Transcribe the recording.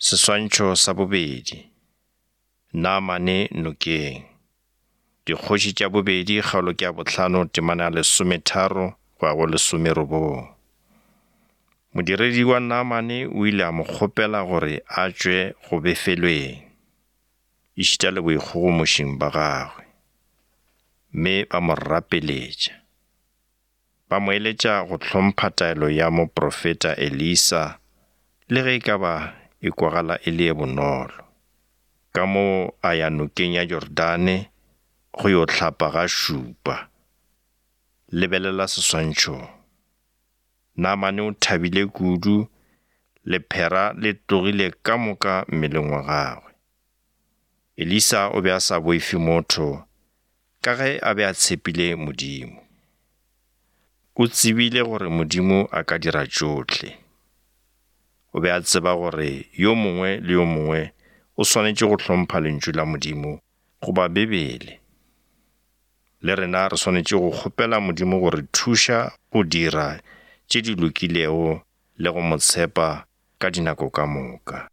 Seswantšho sa bobedi. Naamane nokeng. Dikgoši tša bobedi kgaolo ke ya bohlano temana ya lesometharo go ya go lesomerobong. Modiredi wa Naamane o ile a mo kgopela gore a tšwe go befelweng, ešita le boikgogomošing ba gagwe, mme ba mo rapeletša. Ba mo eletša go hlompha taelo ya moprofeta Elisa le ge e ka ba e kwagala e le ye bonolo. Ka moo a ya nokeng ya Jordane go yo hlapa ga šupa. Lebelela seswantšhong. Naamane o thabile kudu, lephera le tlogile ka moka mmeleng wa gagwe. Elisa o be a sa boife motho ka ge a be a tshepile Modimo. O tsebile gore Modimo a ka dira tšohle. O be a tseba gore yo mongwe le yo mongwe o swanetše go hlompha Lentšu la Modimo goba Bibele. Le rena re swanetše go kgopela Modimo go re thuša go dira tše di lokilego le go mo tshepa ka dinako ka moka.